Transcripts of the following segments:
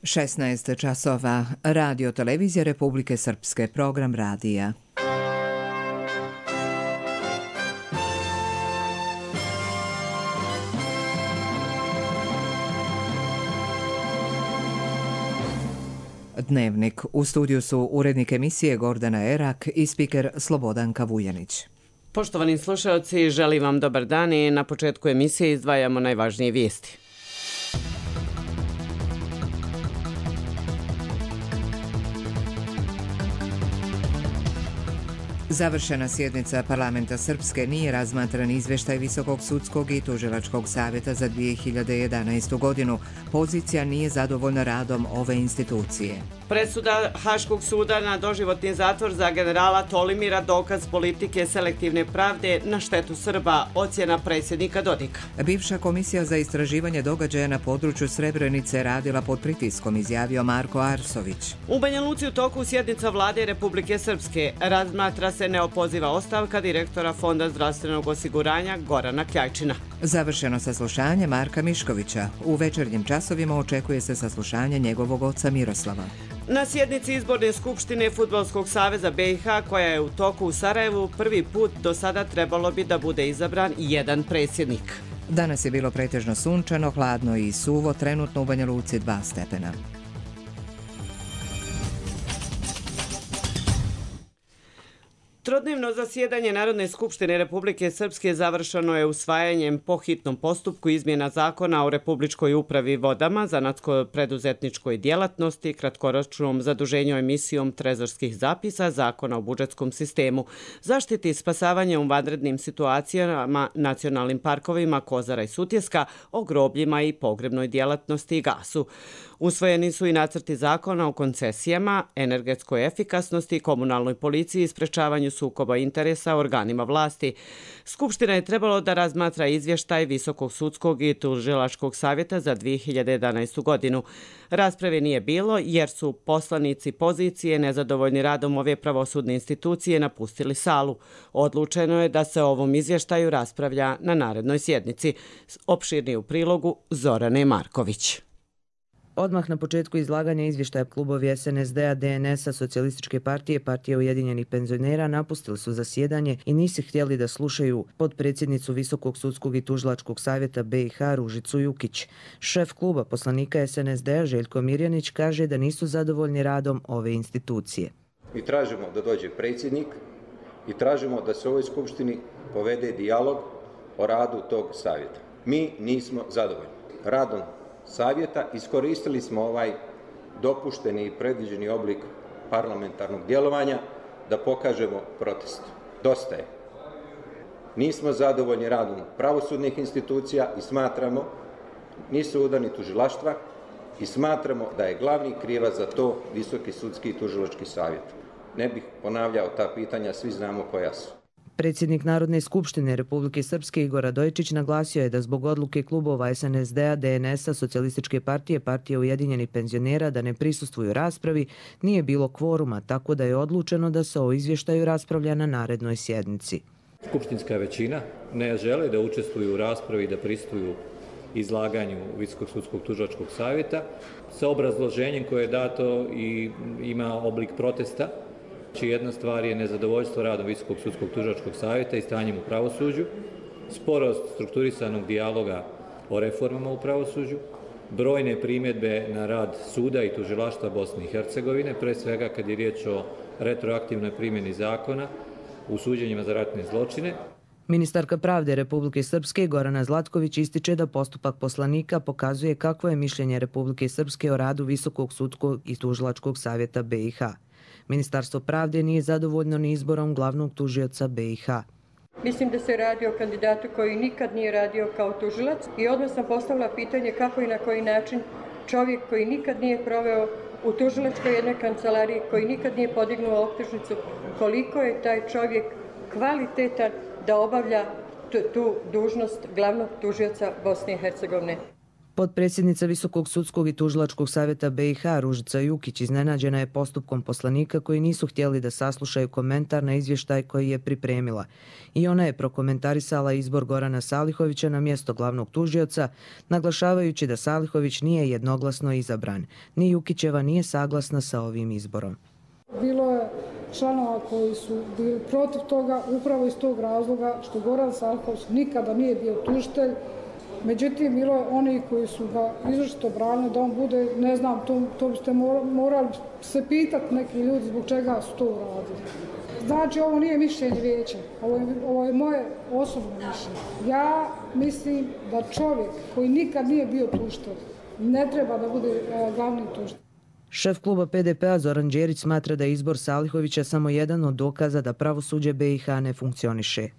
16 časova. Radio Televizija Republike Srpske. Program radija. Dnevnik. U studiju su urednik emisije Gordana Erak i spiker Slobodanka Vujanić. Poštovani slušalci, želim vam dobar dan i na početku emisije izdvajamo najvažnije vijesti. Završena sjednica parlamenta Srpske, nije razmatran izvještaj Visokog sudskog i tužilačkog savjeta za 2011. godinu. Pozicija nije zadovoljna radom ove institucije. Presuda Haškog suda na doživotni zatvor za generala Tolimira dokaz politike selektivne pravde na štetu Srba, ocjena predsjednika Dodika. Bivša komisija za istraživanje događaja na području Srebrenice radila pod pritiskom, izjavio Marko Arsović. U Banja Luci u toku sjednica vlade Republike Srpske razmatra se neopoziva ostavka direktora Fonda zdravstvenog osiguranja Gorana Kljajčina. Završeno saslušanje Marka Miškovića. U večernjim časovima očekuje se saslušanje njegovog oca Miroslava. Na sjednici Izborne skupštine Fudbalskog saveza BiH, koja je u toku u Sarajevu, prvi put do sada trebalo bi da bude izabran jedan predsjednik. Danas je bilo pretežno sunčano, hladno i suvo, trenutno u Banja Luci 2 stepena. Trodnevno zasjedanje Narodne skupštine Republike Srpske završeno je usvajanjem po hitnom postupku izmjena zakona o Republičkoj upravi vodama, zanatsko-preduzetničkoj djelatnosti, kratkoročnom zaduženju emisijom trezorskih zapisa, zakona o budžetskom sistemu, zaštiti i spasavanje u vanrednim situacijama, nacionalnim parkovima Kozara i Sutjeska, o grobljima i pogrebnoj djelatnosti i gasu. Usvojeni su i nacrti zakona o koncesijama, energetskoj efikasnosti, komunalnoj policiji i sprečavanju sukoba interesa organima vlasti. Skupština je trebalo da razmatra izvještaj Visokog sudskog i tužilačkog savjeta za 2011. godinu. Rasprave nije bilo jer su poslanici pozicije nezadovoljni radom ove pravosudne institucije napustili salu. Odlučeno je da se o ovom izvještaju raspravlja na narednoj sjednici. Opširnije u prilogu Zorane Marković. Odmah na početku izlaganja izvještaja klubovi SNSD-a, DNS-a, Socijalističke partije, Partije ujedinjenih penzionera napustili su zasjedanje i nisu htjeli da slušaju potpredsjednicu Visokog sudskog i tužilačkog savjeta BiH Ružicu Jukić. Šef kluba poslanika SNSD-a Željko Mirjanić kaže da nisu zadovoljni radom ove institucije. Mi tražimo da dođe predsjednik i tražimo da se u ovoj skupštini povede dijalog o radu tog savjeta. Mi nismo zadovoljni radom savjeta, iskoristili smo ovaj dopušteni i predviđeni oblik parlamentarnog djelovanja da pokažemo protest. Dosta je. Nismo zadovoljni radom pravosudnih institucija i smatramo, nisu udani tužilaštva i smatramo da je glavni krivac za to Visoki sudski i tužilački savjet. Ne bih ponavljao ta pitanja, svi znamo koja su. Predsjednik Narodne skupštine Republike Srpske Igor Radojičić naglasio je da zbog odluke klubova SNSD-a, DNS-a, Socijalističke partije, Partije ujedinjenih penzionera da ne prisustvuju raspravi, nije bilo kvoruma, tako da je odlučeno da se o izvještaju raspravlja na narednoj sjednici. Skupštinska većina ne žele da učestvuju u raspravi i da prisustvuju izlaganju Visokog sudskog tužilačkog savjeta sa obrazloženjem koje je dato i ima oblik protesta. Jedna stvar je nezadovoljstvo radom Visokog sudskog tužilačkog savjeta i stanjem u pravosuđu, sporost strukturisanog dijaloga o reformama u pravosuđu, brojne primjedbe na rad suda i tužilaštva Bosne i Hercegovine, pre svega kad je riječ o retroaktivnoj primjeni zakona u suđenjima za ratne zločine. Ministarka pravde Republike Srpske Gorana Zlatković ističe da postupak poslanika pokazuje kakvo je mišljenje Republike Srpske o radu Visokog sudskog i tužilačkog savjeta BiH. Ministarstvo pravde nije zadovoljno ni izborom glavnog tužioca BiH. Mislim da se radi o kandidatu koji nikad nije radio kao tužilac i odmah sam postavila pitanje kako i na koji način čovjek koji nikad nije proveo u tužilačkoj jednoj kancelariji, koji nikad nije podignuo optužnicu, koliko je taj čovjek kvalitetan da obavlja tu dužnost glavnog tužioca Bosne i Hercegovine. Potpredsjednica Visokog sudskog i tužilačkog savjeta BiH Ružica Jukić iznenađena je postupkom poslanika koji nisu htjeli da saslušaju komentar na izvještaj koji je pripremila. I ona je prokomentarisala izbor Gorana Salihovića na mjesto glavnog tužioca, naglašavajući da Salihović nije jednoglasno izabran. Ni Jukićeva nije saglasna sa ovim izborom. Bilo je članova koji su bili protiv toga upravo iz tog razloga što Goran Salihović nikada nije bio tužitelj. Međutim, bilo je oni koji su ga izričito branili da on bude, ne znam, to biste morali se pitati neki ljudi zbog čega su to uradili. Znači, ovo nije mišljenje vijeća, ovo je moje osobno mišljenje. Ja mislim da čovjek koji nikad nije bio tužitelj ne treba da bude glavni tužitelj. Šef kluba PDP-a Zoran Đerić smatra da je izbor Salihovića samo jedan od dokaza da pravosuđe BiH ne funkcioniše.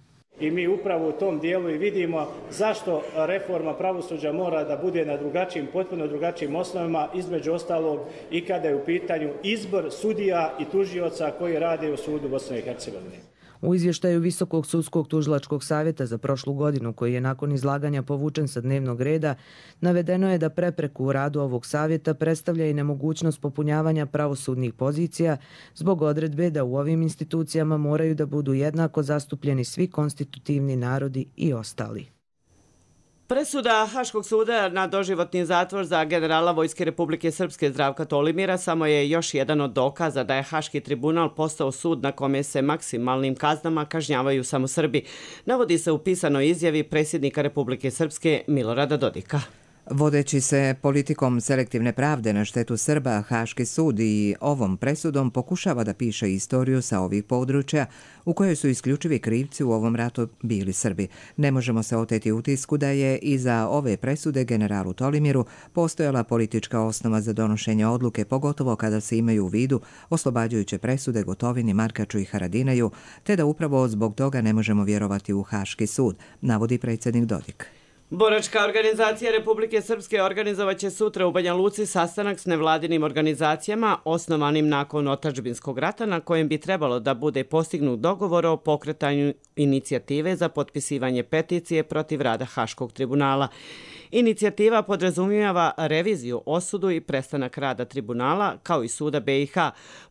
I mi upravo u tom dijelu i vidimo zašto reforma pravosuđa mora da bude na drugačijim, potpuno drugačijim osnovama, između ostalog i kada je u pitanju izbor sudija i tužioca koji rade u sudu Bosne i Hercegovine. U izvještaju Visokog sudskog tužilačkog savjeta za prošlu godinu, koji je nakon izlaganja povučen sa dnevnog reda, navedeno je da prepreku u radu ovog savjeta predstavlja i nemogućnost popunjavanja pravosudnih pozicija zbog odredbe da u ovim institucijama moraju da budu jednako zastupljeni svi konstitutivni narodi i ostali. Presuda Haškog suda na doživotni zatvor za generala Vojske Republike Srpske Zdravka Tolimira samo je još jedan od dokaza da je Haški tribunal postao sud na kome se maksimalnim kaznama kažnjavaju samo Srbi, navodi se u pisanoj izjavi predsjednika Republike Srpske Milorada Dodika. Vodeći se politikom selektivne pravde na štetu Srba, Haški sud i ovom presudom pokušava da piše istoriju sa ovih područja u kojoj su isključivi krivci u ovom ratu bili Srbi. Ne možemo se oteti utisku da je iza ove presude generalu Tolimiru postojala politička osnova za donošenje odluke, pogotovo kada se imaju u vidu oslobađajuće presude Gotovini, Markaču i Haradinaju, te da upravo zbog toga ne možemo vjerovati u Haški sud, navodi predsjednik Dodik. Boračka organizacija Republike Srpske organizovaće sutra u Banja Luci sastanak s nevladinim organizacijama osnovanim nakon otadžbinskog rata na kojem bi trebalo da bude postignut dogovor o pokretanju inicijative za potpisivanje peticije protiv rada Haškog tribunala. Inicijativa podrazumijeva reviziju, osudu i prestanak rada tribunala kao i suda BiH,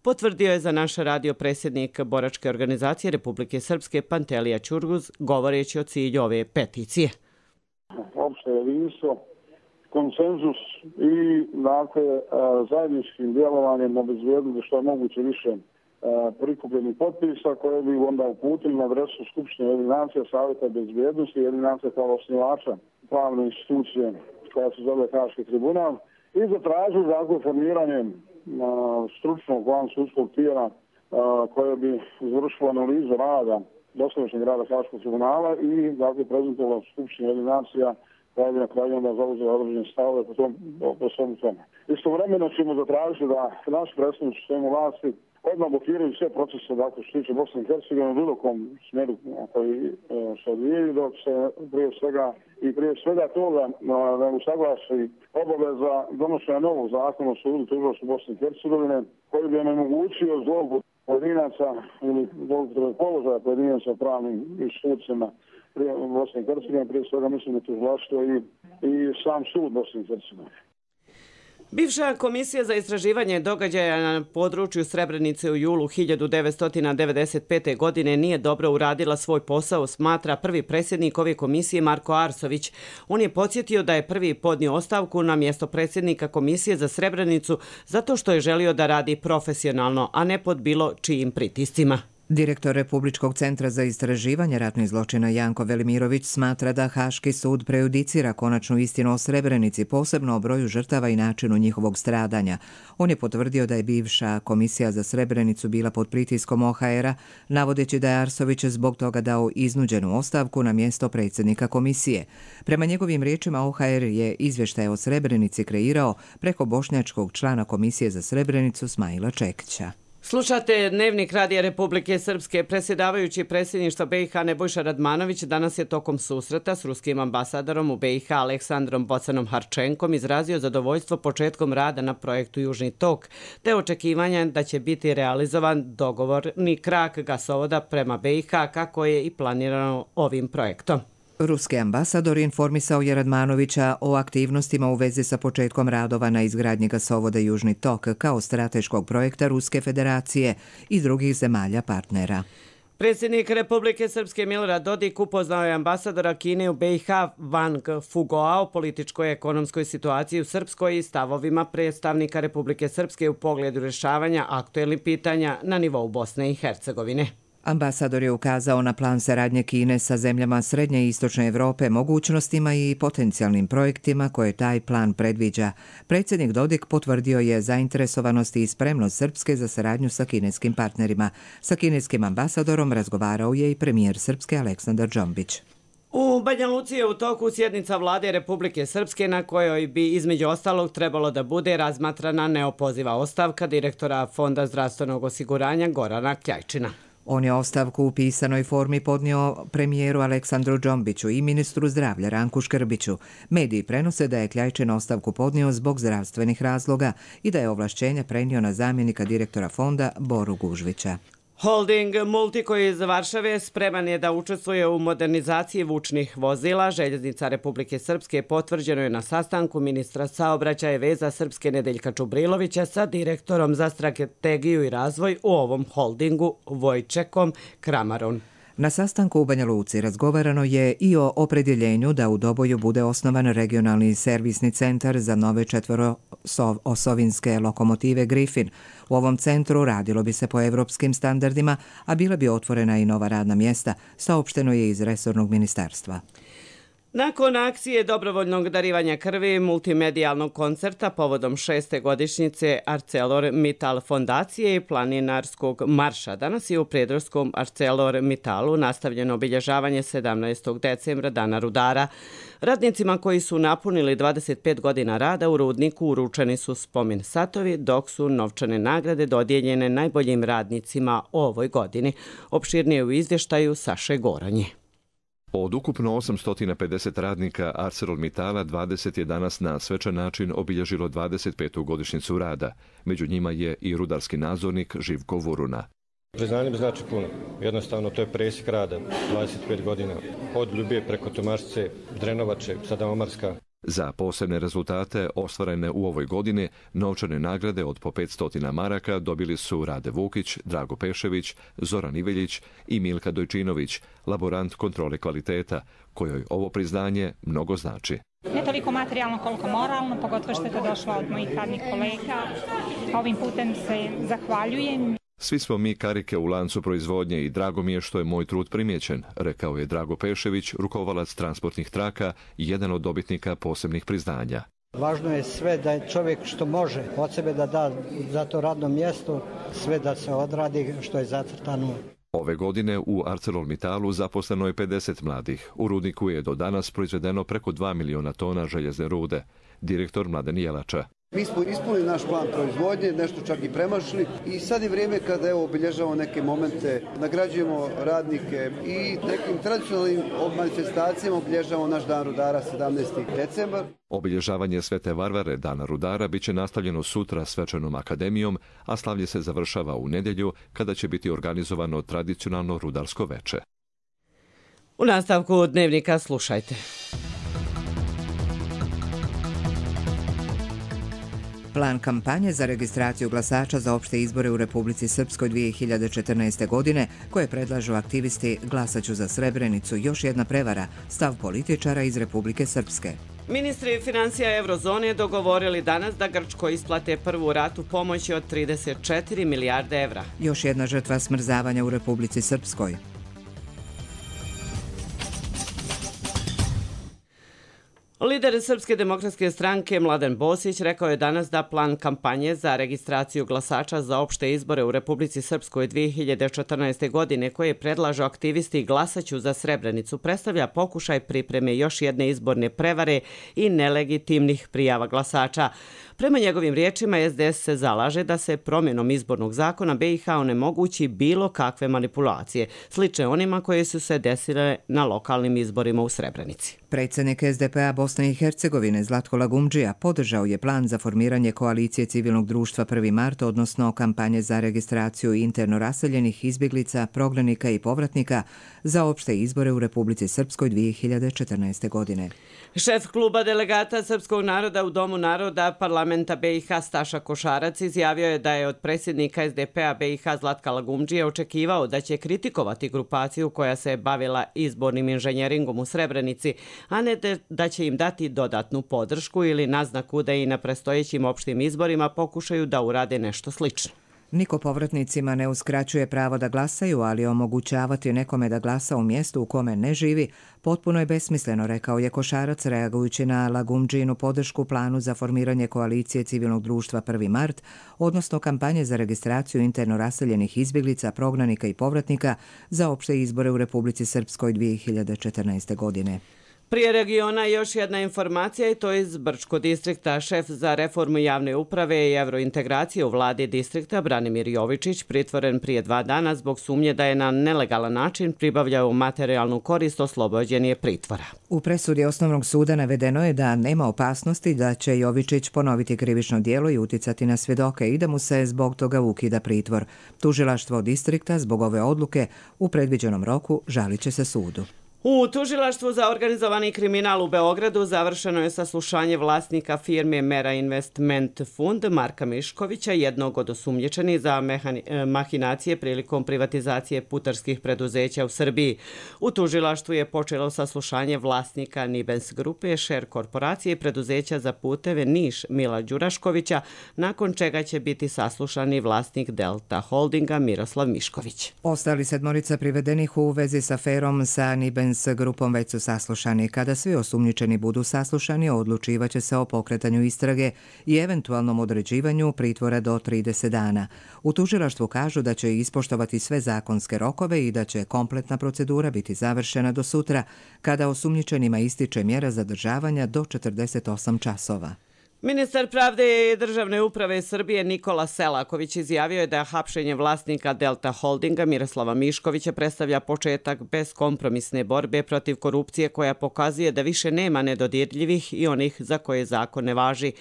potvrdio je za naš radio predsjednik Boračke organizacije Republike Srpske Pantelija Ćurguz govoreći o cilju ove peticije. Opšte jedinstvo, konsenzus i zajedničkim djelovanjem obezbijedili što je moguće više prikupljenih potpisa koje bi onda uputili na adresu Skupštine Ujedinjenih nacija, Savjeta bezbjednosti i Ujedinjenih nacija kao osnivača pravne institucije koja se zove Haški tribunal i zatražili formiranje stručnog vansudskog tijela koje bi izvršilo analizu rada dosadašnjeg rada Haškog tribunala i prezentovala Skupština Ujedinjenih nacija koja bi na kraju onda zauzela određene stavove po svemu tome. Istovremeno ćemo zatražiti da naši predstavnici u sistemu vlasti odmah blokiraju sve procese što se tiče Bosne i Hercegovine u bilo kom smjeru koji se odvijaju, dok se prije svega toga da usaglasi obaveza donošenja novog zakona o sudu tužilaštva Bosne i Hercegovine koji bi omogućio zlouporabu pojedinaca ili zloupotrebe položaja pojedinaca u pravnim institucijama Bosne i Hercegovine, prije svega mislim na tužilaštvo i sam sud Bosne i Hercegovine. Bivša komisija za istraživanje događaja na području Srebrenice u julu 1995. godine nije dobro uradila svoj posao, smatra prvi predsjednik ove komisije Marko Arsović. On je podsjetio da je prvi podnio ostavku na mjesto predsjednika komisije za Srebrenicu zato što je želio da radi profesionalno, a ne pod bilo čijim pritiscima. Direktor Republičkog centra za istraživanje ratnih zločina Janko Velimirović smatra da Haški sud prejudicira konačnu istinu o Srebrenici, posebno o broju žrtava i načinu njihovog stradanja. On je potvrdio da je bivša komisija za Srebrenicu bila pod pritiskom OHR-a, navodeći da je Arsović zbog toga dao iznuđenu ostavku na mjesto predsjednika komisije. Prema njegovim riječima, OHR je izvještaj o Srebrenici kreirao preko bošnjačkog člana komisije za Srebrenicu Smajla Čekića. Slušate Dnevnik Radija Republike Srpske. Predsjedavajući predsjedništva BiH Nebojša Radmanović danas je tokom susreta s ruskim ambasadorom u BiH Aleksandrom Bocanom Harčenkom izrazio zadovoljstvo početkom rada na projektu Južni tok, te očekivanja da će biti realizovan dogovorni krak gasovoda prema BiH kako je i planirano ovim projektom. Ruski ambasador informisao je Radmanovića o aktivnostima u vezi sa početkom radova na izgradnji gasovoda Južni tok kao strateškog projekta Ruske federacije i drugih zemalja partnera. Predsjednik Republike Srpske Milorad Dodik upoznao je ambasadora Kine u BiH Wang Fugoa o političkoj i ekonomskoj situaciji u Srpskoj i stavovima predstavnika Republike Srpske u pogledu rješavanja aktuelnih pitanja na nivou Bosne i Hercegovine. Ambasador je ukazao na plan saradnje Kine sa zemljama Srednje i Istočne Evrope, mogućnostima i potencijalnim projektima koje taj plan predviđa. Predsjednik Dodik potvrdio je zainteresovanost i spremnost Srpske za saradnju sa kineskim partnerima. Sa kineskim ambasadorom razgovarao je i premijer Srpske Aleksandar Džombić. U Banja Luci je u toku sjednica vlade Republike Srpske na kojoj bi između ostalog trebalo da bude razmatrana neopoziva ostavka direktora Fonda zdravstvenog osiguranja Gorana Kljajčina. On je ostavku u pisanoj formi podnio premijeru Aleksandru Džombiću i ministru zdravlja Ranku Škrbiću. Mediji prenose da je Kljajčin ostavku podnio zbog zdravstvenih razloga i da je ovlašćenje prenio na zamjenika direktora fonda Boru Gužvića. Holding Multico iz Varšave spreman je da učestvuje u modernizaciji vučnih vozila. Željeznica Republike Srpske potvrđeno je na sastanku ministra saobraćaja i veza Srpske Nedeljka Čubrilovića sa direktorom za strategiju i razvoj u ovom holdingu Vojčekom Kramarom. Na sastanku u Banja Luci razgovarano je i o opredjeljenju da u Doboju bude osnovan regionalni servisni centar za nove četveroosovinske lokomotive Griffin. U ovom centru radilo bi se po evropskim standardima, a bila bi otvorena i nova radna mjesta, saopšteno je iz resornog ministarstva. Nakon akcije dobrovoljnog darivanja krvi multimedijalnog koncerta povodom 6. godišnjice ArcelorMittal fondacije i planinarskog marša, danas je u Prijedorskom ArcelorMittalu nastavljeno obilježavanje 17. decembra Dana rudara. Radnicima koji su napunili 25 godina rada u rudniku uručeni su spomen satovi, dok su novčane nagrade dodijeljene najboljim radnicima u ovoj godini. Opširnije u izvještaju Saše Goranje. Od ukupno 850 radnika ArcelorMittala 20 je danas na svečan način obilježilo 25. godišnjicu rada. Među njima je i rudarski nadzornik Živko Vuruna. Priznanje mi znači puno. Jednostavno to je presjek rada, 25 godina. Od Ljubije preko Tomašce, Drenovače, sada Omarska. Za posebne rezultate ostvarene u ovoj godini novčane nagrade od po 500 maraka dobili su Rade Vukić, Drago Pešević, Zoran Iveljić i Milka Dojčinović, laborant kontrole kvaliteta, kojoj ovo priznanje mnogo znači. Ne toliko materijalno koliko moralno, pogotovo što je to došlo od mojih radnih kolega. Ovim putem se zahvaljujem. Svi smo mi karike u lancu proizvodnje i drago mi je što je moj trud primijećen, rekao je Drago Pešević, rukovalac transportnih traka i jedan od dobitnika posebnih priznanja. Važno je sve da je čovjek što može od sebe da da za to radno mjesto, sve da se odradi što je zacrtano. Ove godine u ArcelorMittalu zaposleno je 50 mladih. U rudniku je do danas proizvedeno preko 2 miliona tona željezne rude. Direktor Mladen Jelača. Mi smo ispunili naš plan proizvodnje, nešto čak i premašili i sad je vrijeme kada obilježavamo neke momente, nagrađujemo radnike i nekim tradicionalnim manifestacijama obilježavamo naš dan rudara 17. decembar. Obilježavanje Svete Varvare, Dana rudara, bit će nastavljeno sutra svečanom akademijom, a slavlje se završava u nedjelju kada će biti organizovano tradicionalno rudarsko veče. U nastavku dnevnika slušajte. Plan kampanje za registraciju glasača za opšte izbore u Republici Srpskoj 2014. godine, koje predlažu aktivisti Glasaću za Srebrenicu, još jedna prevara, stav političara iz Republike Srpske. Ministri financija Eurozone dogovorili danas da Grčkoj isplate prvu ratu pomoći od 34 milijarde evra. Još jedna žrtva smrzavanja u Republici Srpskoj. Lider Srpske demokratske stranke Mladen Bosić rekao je danas da plan kampanje za registraciju glasača za opšte izbore u Republici Srpskoj 2014. godine koje predlažu aktivisti Glasaću za Srebrenicu predstavlja pokušaj pripreme još jedne izborne prevare i nelegitimnih prijava glasača. Prema njegovim riječima, SDS se zalaže da se promjenom izbornog zakona BiH onemogući bilo kakve manipulacije, slične onima koje su se desile na lokalnim izborima u Srebrenici. Predsjednik SDP-a Bosne i Hercegovine Zlatko Lagumdžija podržao je plan za formiranje koalicije civilnog društva 1. mart, odnosno kampanje za registraciju interno raseljenih izbjeglica, prognanika i povratnika za opšte izbore u Republici Srpskoj 2014. godine. Šef kluba delegata Srpskog naroda u Domu naroda parlamenta BiH Staša Košarac izjavio je da je od predsjednika SDP-a BiH Zlatka Lagumdžije očekivao da će kritikovati grupaciju koja se bavila izbornim inženjeringom u Srebrenici, a ne da će im dati dodatnu podršku ili naznaku da i na predstojećim opštim izborima pokušaju da urade nešto slično. Niko povratnicima ne uskraćuje pravo da glasaju, ali omogućavati nekome da glasa u mjestu u kome ne živi potpuno je besmisleno, rekao je Košarac reagujući na Lagumdžinu podršku planu za formiranje koalicije civilnog društva 1. mart, odnosno kampanje za registraciju interno raseljenih izbjeglica, prognanika i povratnika za opšte izbore u Republici Srpskoj 2014. godine. Prije regiona još jedna informacija i to iz Brčkog distrikta. Šef za reformu javne uprave i evrointegracije u vladi distrikta Branimir Jovičić pritvoren prije 2 dana zbog sumnje da je na nelegalan način pribavljao materijalnu korist, oslobođen je pritvora. U presudi Osnovnog suda navedeno je da nema opasnosti da će Jovičić ponoviti krivično djelo i uticati na svjedoke i da mu se zbog toga ukida pritvor. Tužilaštvo distrikta zbog ove odluke u predviđenom roku žalit će se sudu. U Tužilaštvu za organizovani kriminal u Beogradu završeno je saslušanje vlasnika firme Mera Investment Fund Marka Miškovića, jednog od osumnjičenih za mahinacije prilikom privatizacije putarskih preduzeća u Srbiji. U Tužilaštvu je počelo saslušanje vlasnika Nibens grupe, Šer korporacije i preduzeća za puteve Niš Mila Đuraškovića, nakon čega će biti saslušani vlasnik Delta Holdinga Miroslav Mišković. Ostali 7 privedenih u vezi s aferom sa Nibens s grupom već su saslušani. Kada svi osumnjičeni budu saslušani, odlučivaće se o pokretanju istrage i eventualnom određivanju pritvora do 30 dana. U tužilaštvu kažu da će ispoštovati sve zakonske rokove i da će kompletna procedura biti završena do sutra, kada osumnjičenima ističe mjera zadržavanja do 48 časova. Ministar pravde i državne uprave Srbije Nikola Selaković izjavio je da hapšenje vlasnika Delta Holdinga Miroslava Miškovića predstavlja početak beskompromisne borbe protiv korupcije koja pokazuje da više nema nedodirljivih i onih za koje zakon ne važi.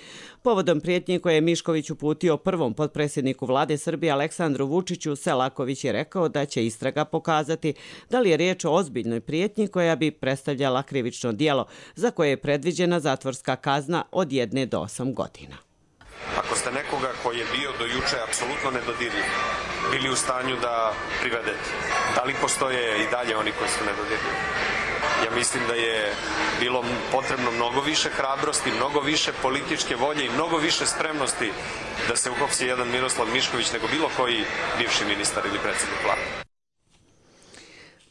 Povodom prijetnji koje je Mišković uputio prvom potpredsjedniku vlade Srbije Aleksandru Vučiću, Selaković je rekao da će istraga pokazati da li je riječ o ozbiljnoj prijetnji koja bi predstavljala krivično djelo za koje je predviđena zatvorska kazna od 1 do 8 godina. Ako ste nekoga koji je bio do juče apsolutno nedodirljiv, bili u stanju da privedete, da li postoje i dalje oni koji su nedodirljivi? Ja mislim da je bilo potrebno mnogo više hrabrosti, mnogo više političke volje i mnogo više spremnosti da se uhapsi jedan Miroslav Mišković nego bilo koji bivši ministar ili predsjednik vlade.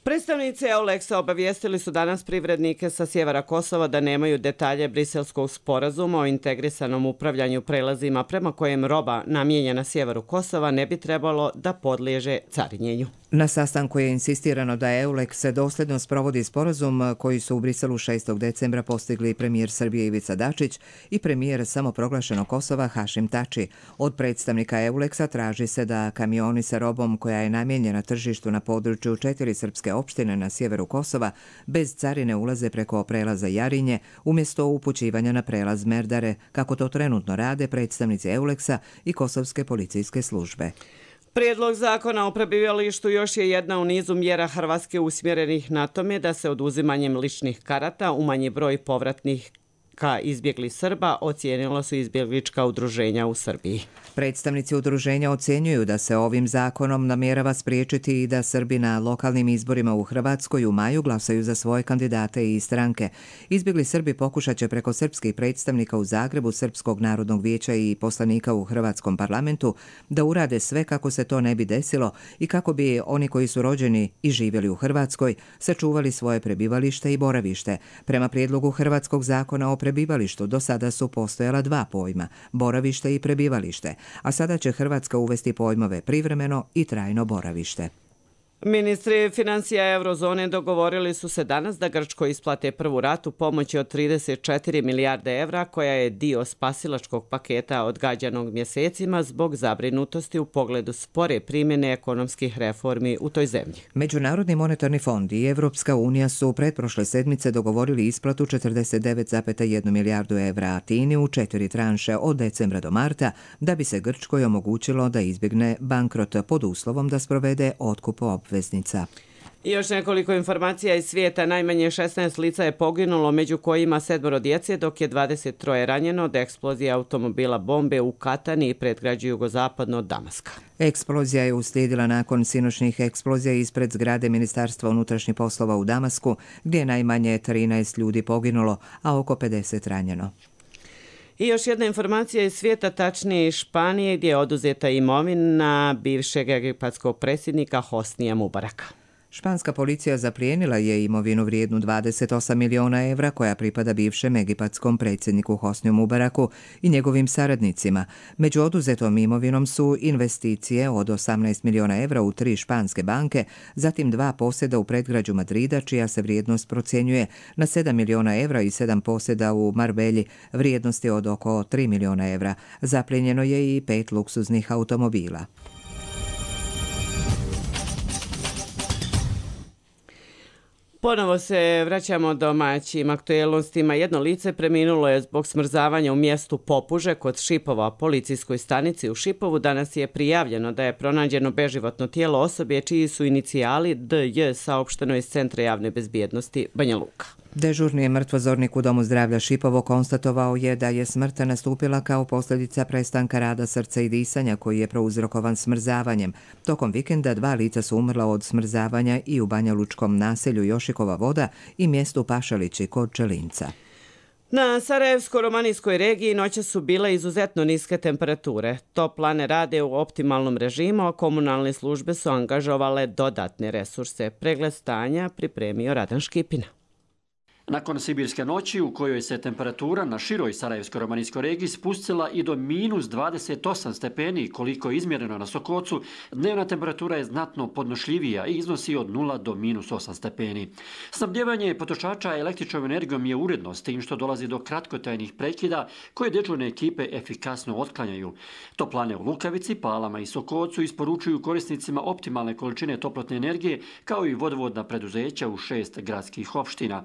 Predstavnici EULEX-a obavijestili su danas privrednike sa sjevera Kosova da nemaju detalje Briselskog sporazuma o integrisanom upravljanju prelazima prema kojem roba namijenjena sjeveru Kosova ne bi trebalo da podliježe carinjenju. Na sastanku je insistirano da EULEX dosljedno sprovodi sporazum koji su u Briselu 6. decembra postigli premijer Srbije Ivica Dačić i premijer samoproglašenog Kosova Hašim Tači. Od predstavnika EULEX-a traži se da kamioni sa robom koja je namijenjena tržištu na području 4 srpske opštine na sjeveru Kosova bez carine ulaze preko prelaza Jarinje umjesto upućivanja na prelaz Merdare, kako to trenutno rade predstavnici EULEX-a i kosovske policijske službe. Prijedlog zakona o prebivalištu još je jedna u nizu mjera Hrvatske usmjerenih na tome da se oduzimanjem ličnih karata umanji broj povratnih izbjeglih Srba, ocijenilo su izbjeglička udruženja u Srbiji. Predstavnici udruženja ocjenjuju da se ovim zakonom namjerava spriječiti i da Srbi na lokalnim izborima u Hrvatskoj u maju glasaju za svoje kandidate i stranke. Izbjegli Srbi pokušat će preko srpskih predstavnika u Zagrebu, Srpskog narodnog vijeća i poslanika u Hrvatskom parlamentu da urade sve kako se to ne bi desilo i kako bi oni koji su rođeni i živjeli u Hrvatskoj sačuvali svoje prebivalište i boravište. Prema prijedlogu Hrvatskog zakona o prebivalištu do sada su postojala 2 pojma, boravište i prebivalište, a sada će Hrvatska uvesti pojmove privremeno i trajno boravište. Ministri financija eurozone dogovorili su se danas da Grčkoj isplate prvu ratu pomoći od 34 milijarde evra, koja je dio spasilačkog paketa odgađanog mjesecima zbog zabrinutosti u pogledu spore primjene ekonomskih reformi u toj zemlji. Međunarodni monetarni fond i Evropska unija su pretprošle sedmice dogovorili isplatu 49,1 milijardu evra Atini u 4 tranše od decembra do marta, da bi se Grčkoj omogućilo da izbjegne bankrot pod uslovom da sprovede otkup obveznica. I još nekoliko informacija iz svijeta. Najmanje 16 lica je poginulo, među kojima 7 djece, dok je 23 ranjeno od eksplozije automobila bombe u Katani i predgrađu jugozapadno od Damaska. Eksplozija je uslijedila nakon sinoćnih eksplozija ispred zgrade Ministarstva unutrašnjih poslova u Damasku, gdje je najmanje 13 ljudi poginulo, a oko 50 ranjeno. I još jedna informacija iz svijeta, tačnije iz Španije, gdje je oduzeta imovina bivšeg egipatskog predsjednika Hosnija Mubaraka. Španska policija zaplijenila je imovinu vrijednu 28 miliona evra koja pripada bivšem egipatskom predsjedniku Hosniju Mubaraku i njegovim saradnicima. Među oduzetom imovinom su investicije od 18 miliona evra u 3 španske banke, zatim 2 posjeda u predgrađu Madrida, čija se vrijednost procjenjuje na 7 miliona evra, i 7 posjeda u Marbelji vrijednosti od oko 3 miliona evra. Zaplijenjeno je i 5 luksuznih automobila. Ponovo se vraćamo domaćim aktuelnostima. Jedno lice preminulo je zbog smrzavanja u mjestu Popuže kod Šipova. Policijskoj stanici u Šipovu danas je prijavljeno da je pronađeno beživotno tijelo osobe čiji su inicijali DJ, saopšteno iz Centra javne bezbjednosti Banja Luka. Dežurni mrtvozornik u Domu zdravlja Šipovo konstatovao je da je smrt nastupila kao posljedica prestanka rada srca i disanja koji je prouzrokovan smrzavanjem. Tokom vikenda 2 lica su umrla od smrzavanja i u banjalučkom naselju Jošikova Voda i mjestu Pašalići kod Čelinca. Na Sarajevsko-romanijskoj regiji noće su bile izuzetno niske temperature. Toplane rade u optimalnom režimu, a komunalne službe su angažovale dodatne resurse. Pregled stanja pripremio Radan Škipina. Nakon sibirske noći u kojoj se temperatura na široj Sarajevsko-romanijskoj regiji spustila i do minus 28 stepeni koliko je izmjereno na Sokocu, dnevna temperatura je znatno podnošljivija i iznosi od 0 do minus 8 stepeni. Snabdjevanje potrošača električnom energijom je uredno, s tim što dolazi do kratkotrajnih prekida koje dežurne ekipe efikasno otklanjaju. Toplane u Lukavici, Palama i Sokocu isporučuju korisnicima optimalne količine toplotne energije, kao i vodovodna preduzeća u 6 gradskih opština.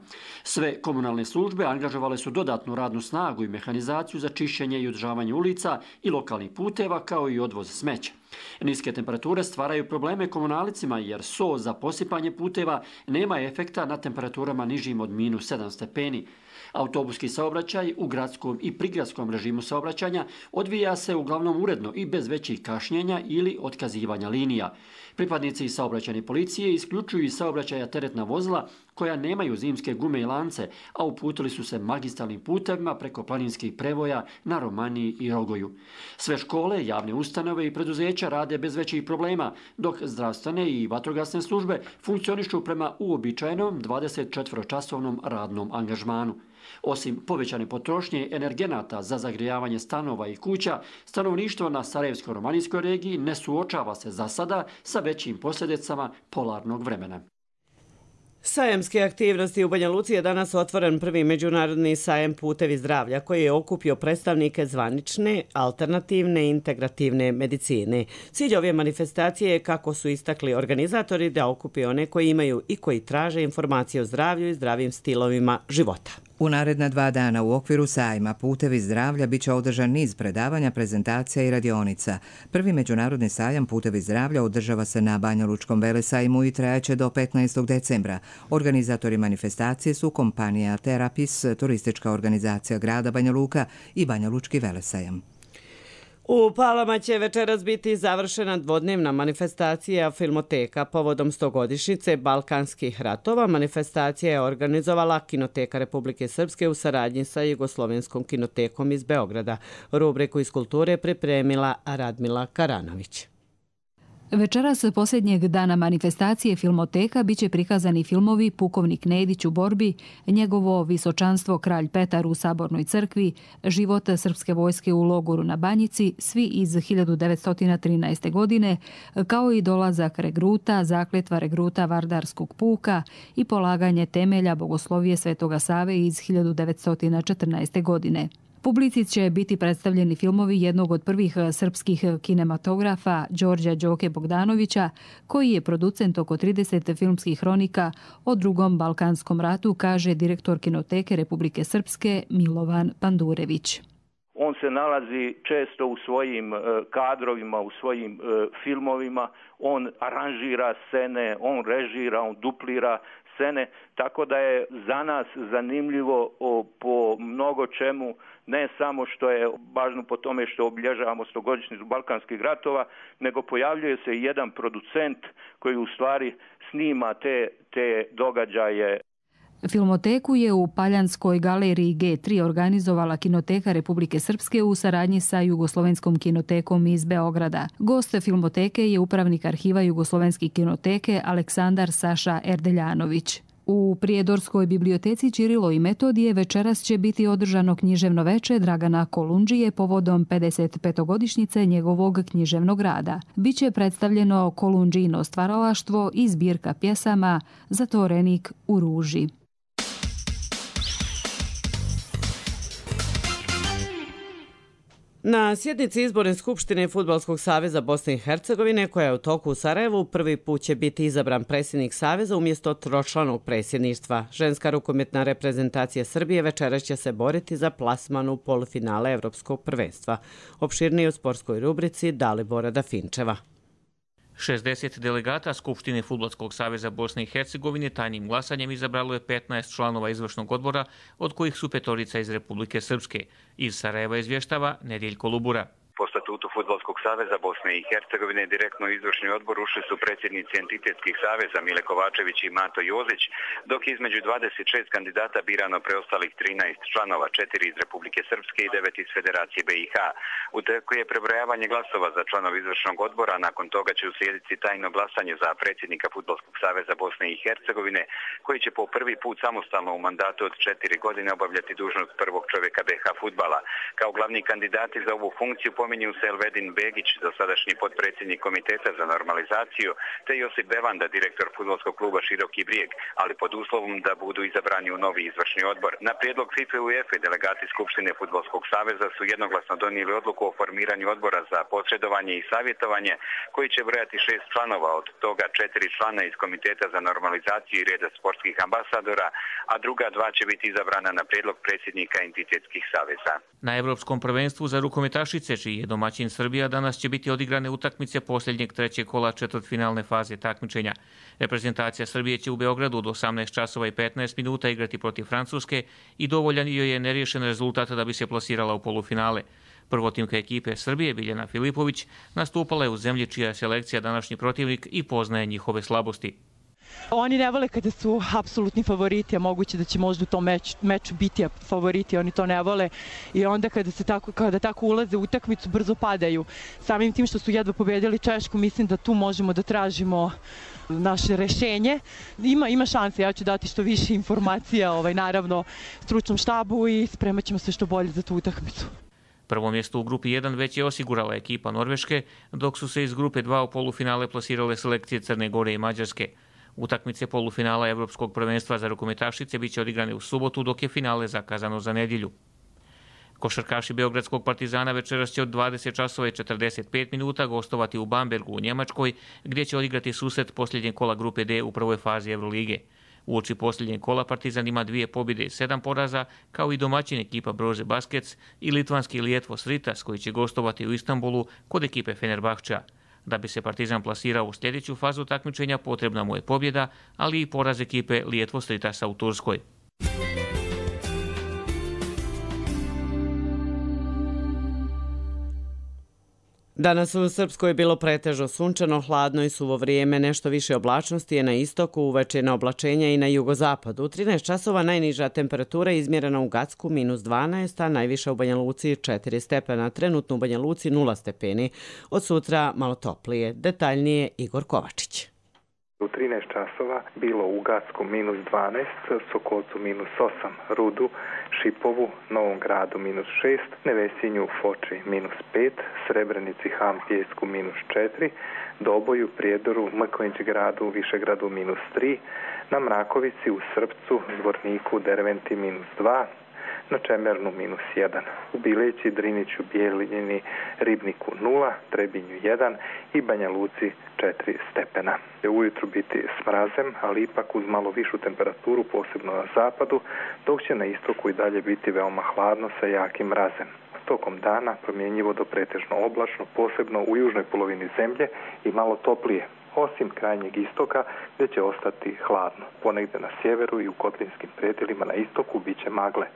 Sve komunalne službe angažovale su dodatnu radnu snagu i mehanizaciju za čišćenje i održavanje ulica i lokalnih puteva, kao i odvoz smeća. Niske temperature stvaraju probleme komunalicima jer so za posipanje puteva nema efekta na temperaturama nižim od minus 7 stepeni. Autobuski saobraćaj u gradskom i prigradskom režimu saobraćanja odvija se uglavnom uredno i bez većih kašnjenja ili otkazivanja linija. Pripadnici saobraćajne policije isključuju iz saobraćaja teretna vozila koja nemaju zimske gume i lance, a uputili su se magistralnim putevima preko planinskih prevoja na Romaniji i Rogoju. Sve škole, javne ustanove i preduzeća rade bez većih problema, dok zdravstvene i vatrogasne službe funkcionišu prema uobičajenom 24-časovnom radnom angažmanu. Osim povećane potrošnje energenata za zagrijavanje stanova i kuća, stanovništvo na Sarajevsko-romanijskoj regiji ne suočava se za sada sa većim posljedicama polarnog vremena. Sajamske aktivnosti u Banja Luci je danas otvoren prvi međunarodni sajem Putevi zdravlja koji je okupio predstavnike zvanične, alternativne i integrativne medicine. Cilj ove manifestacije je, kako su istakli organizatori, da okupi one koji imaju i koji traže informacije o zdravlju i zdravim stilovima života. U naredna 2 dana u okviru sajma Putevi zdravlja bit će održan niz predavanja, prezentacija i radionica. Prvi međunarodni sajam Putevi zdravlja održava se na Banjalučkom velesajmu i trajaće do 15. decembra. Organizatori manifestacije su kompanija Terapis, turistička organizacija grada Banja Luka i Banjalučki velesajam. U Palama će večeras biti završena dvodnevna manifestacija Filmoteka povodom 100-godišnjice Balkanskih ratova. Manifestacija je organizovala Kinoteka Republike Srpske u saradnji sa Jugoslovenskom kinotekom iz Beograda. Rubriku iz kulture pripremila Radmila Karanović. Večeras posljednjeg dana manifestacije Filmoteka biće prikazani filmovi Pukovnik Nedić u borbi, Njegovo visočanstvo Kralj Petar u Sabornoj crkvi, Život srpske vojske u logoru na Banjici, svi iz 1913. godine, kao i Dolazak regruta, Zakletva regruta Vardarskog puka i Polaganje temelja Bogoslovije Svetoga Save iz 1914. godine. Publici će biti predstavljeni filmovi jednog od prvih srpskih kinematografa Đorđa Đoke Bogdanovića, koji je producent oko 30 filmskih hronika o Drugom Balkanskom ratu, kaže direktor Kinoteke Republike Srpske Milovan Pandurević. On se nalazi često u svojim kadrovima, u svojim filmovima, on aranžira scene, on režira, on duplira scene, tako da je za nas zanimljivo po mnogo čemu, ne samo što je važno po tome što obilježavamo 100-godišnjicu Balkanskih ratova, nego pojavljuje se i jedan producent koji u stvari snima te događaje. Filmoteku je u Paljanskoj galeriji G3 organizovala Kinoteka Republike Srpske u saradnji sa Jugoslovenskom kinotekom iz Beograda. Gost Filmoteke je upravnik arhiva Jugoslovenske kinoteke Aleksandar Saša Erdeljanović. U Prijedorskoj biblioteci Ćirilo i Metodije večeras će biti održano književno veče Dragana Kolundžije povodom 55-godišnjice njegovog književnog rada. Biće predstavljeno Kolundžijino stvaralaštvo i zbirka pjesama Zatvorenik u ruži. Na sjednici Izborne skupštine Fudbalskog saveza Bosne i Hercegovine, koja je u toku u Sarajevu, prvi put će biti izabran predsjednik saveza umjesto tročlanog predsjedništva. Ženska rukometna reprezentacija Srbije večeras će se boriti za plasman u polufinale Evropskog prvenstva. Opširnije u sportskoj rubrici Dalibora Dafinčeva. 60 delegata Skupštine Fudbalskog saveza Bosne i Hercegovine tajnim glasanjem izabralo je 15 članova izvršnog odbora, od kojih su 5 iz Republike Srpske. Iz Sarajeva izvještava Nediljko Lubura. Po statutu Fudbalskog saveza Bosne i Hercegovine direktno u izvršni odbor ušli su predsjednici entitetskih saveza Mile Kovačević i Mato Jozić, dok između 26 kandidata birano preostalih 13 članova, 4 iz Republike Srpske i 9 iz Federacije BiH. U teku je prebrojavanje glasova za članov izvršnog odbora, nakon toga će uslijediti tajno glasanje za predsjednika Fudbalskog saveza Bosne i Hercegovine, koji će po prvi put samostalno u mandatu od 4 godine obavljati dužnost prvog čovjeka BiH fudbala. Kao glavni kandidati za ovu funkciju pominju se Elvedin Begić, dosadašnji potpredsjednik Komiteta za normalizaciju, te Josip Bevanda, direktor fudbalskog kluba Široki Brijeg, ali pod uslovom da budu izabrani u novi izvršni odbor. Na prijedlog FIFA i UEFA delegati Skupštine Fudbalskog saveza su jednoglasno donijeli odluku o formiranju odbora za posredovanje i savjetovanje, koji će brojati 6 članova, od toga 4 člana iz Komiteta za normalizaciju i reda sportskih ambasadora, a druga 2 će biti izabrana na prijedlog predsjednika entitetskih saveza. Na Evropskom prvenstvu za rukometašice, čiji je domaćin Srbija, danas će biti odigrane utakmice posljednjeg trećeg kola četvrtfinalne faze takmičenja. Reprezentacija Srbije će u Beogradu od 18 časova i 15 minuta igrati protiv Francuske i dovoljan joj je neriješen rezultat da bi se plasirala u polufinale. Prvotimka ekipe Srbije, Biljana Filipović, nastupala je u zemlji čija je selekcija današnji protivnik i poznaje njihove slabosti. Oni ne vole kada su apsolutni favoriti, a moguće da će možda u tom meču biti favoriti, oni to ne vole i onda kada tako ulaze u utakmicu brzo padaju. Samim tim što su jedva pobedili Češku, mislim da tu možemo da tražimo naše rešenje. Ima šanse, ja ću dati što više informacija, naravno, stručnom štabu i spremat ćemo se što bolje za tu utakmicu. Prvo mjesto u grupi 1 već je osigurala ekipa Norveške, dok su se iz grupe 2 u polufinale plasirale selekcije Crne Gore i Mađarske. Utakmice polufinala Evropskog prvenstva za rukometašice biće odigrane u subotu, dok je finale zakazano za nedjelju. Košarkaši Beogradskog Partizana večeras će od 20 časova i 45 minuta gostovati u Bambergu u Njemačkoj, gdje će odigrati susret posljednjeg kola grupe D u prvoj fazi Evrolige. Uoči posljednjeg kola Partizan ima 2 pobjede i 7 poraza, kao i domaćin ekipa Brože Baskets i litvanski Lietuvos Rytas, koji će gostovati u Istanbulu kod ekipe Fenerbahčea. Da bi se Partizan plasirao u sljedeću fazu takmičenja, potrebna mu je pobjeda, ali i poraz ekipe Lietuvos Rytasa u Turskoj. Danas u Srpskoj je bilo pretežno sunčano, hladno i suvo vrijeme, nešto više oblačnosti je na istoku, uveče oblačenja i na jugozapadu. U 13 časova najniža temperatura je izmjerena u Gacku -12, a najviša u Banja Luci 4 stepena, trenutno u Banja Luci 0 stepeni. Od sutra malo toplije. Detaljnije Igor Kovačić. U 13 časova bilo u Gacku -12, Sokolcu -8, Rudu, Šipovu, Novom Gradu -6, Nevesinju, Foči -5, Srebrenici, Ham, Pijesku -4, Doboju, Prijedoru, Mrkonjić Gradu, Višegradu -3, na Mrakovici, u Srpcu, Zvorniku, Derventi -2, na Čemernu -1, u Bileći, Driniću, Bijeljini, Ribniku 0, Trebinju 1 i Banja Luci 4 stepena. Ujutru biti s mrazem, ali ipak uz malo višu temperaturu, posebno na zapadu, dok će na istoku i dalje biti veoma hladno sa jakim mrazem. Tokom dana promjenjivo do pretežno oblačno, posebno u južnoj polovini zemlje i malo toplije, osim krajnjeg istoka gdje će ostati hladno. Ponegdje na sjeveru i u kotlinskim predjelima na istoku bit će magle.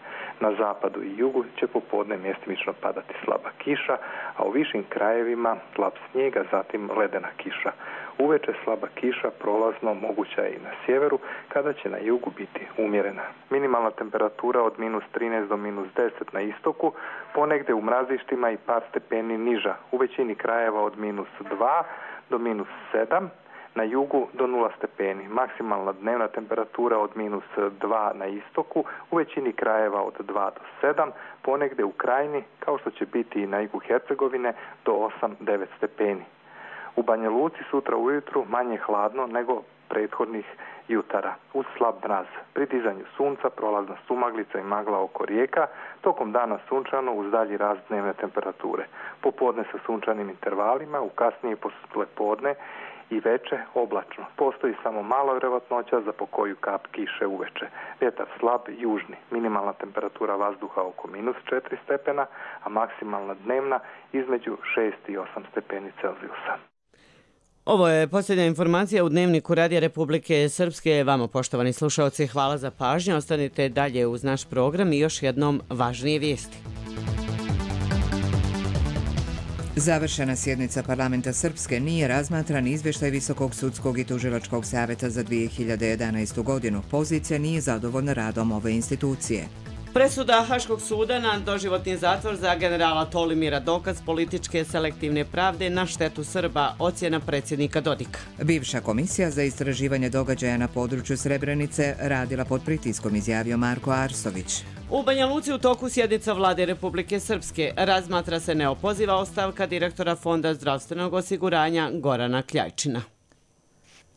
Na zapadu i jugu će popodne mjestimično padati slaba kiša, a u višim krajevima slab snijeg, a zatim ledena kiša. Uveče slaba kiša prolazno moguća je i na sjeveru, kada će na jugu biti umjerena. Minimalna temperatura od -13 do -10 na istoku, ponegdje u mrazištima i par stepeni niža. U većini krajeva od -2 do -7, na jugu do 0 stepeni. Maksimalna dnevna temperatura od -2 na istoku, u većini krajeva od 2 do 7, ponegdje u krajini, kao što će biti i na jugu Hercegovine, do 8-9 stepeni. U Banja Luci sutra ujutru manje hladno nego prethodnih jutara, uz slab mraz. Pri dizanju sunca prolazna sumaglica i magla oko rijeka, tokom dana sunčano uz dalji rast dnevne temperature. Popodne sa sunčanim intervalima, u kasnije poslijepodne i veče oblačno. Postoji samo mala vjerovatnoća za pokoju kap kiše uveče. Vjetar slab južni, minimalna temperatura vazduha oko -4 stepena, a maksimalna dnevna između 6 i 8 stepeni Celzijusa. Ovo je posljednja informacija u Dnevniku Radija Republike Srpske. Vama, poštovani slušalci, hvala za pažnju. Ostanite dalje uz naš program i još jednom važnije vijesti. Završena sjednica parlamenta Srpske nije razmatran izvještaj Visokog sudskog i tužilačkog savjeta za 2011. godinu. Pozicija nije zadovoljna radom ove institucije. Presuda Haškog suda na doživotni zatvor za generala Tolimira dokaz političke selektivne pravde na štetu Srba, ocjena predsjednika Dodika. Bivša komisija za istraživanje događaja na području Srebrenice radila pod pritiskom, izjavio Marko Arsović. U Banja Luci u toku sjednica Vlade Republike Srpske razmatra se neopoziva ostavka direktora Fonda zdravstvenog osiguranja Gorana Kljajčina.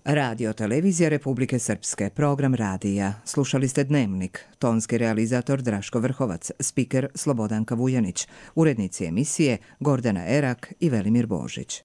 Radio televizija Republike Srpske, program radija. Slušali ste Dnevnik, tonski realizator Draško Vrhovac, spiker Slobodanka Vujanić, urednici emisije Gordana Erak i Velimir Božić.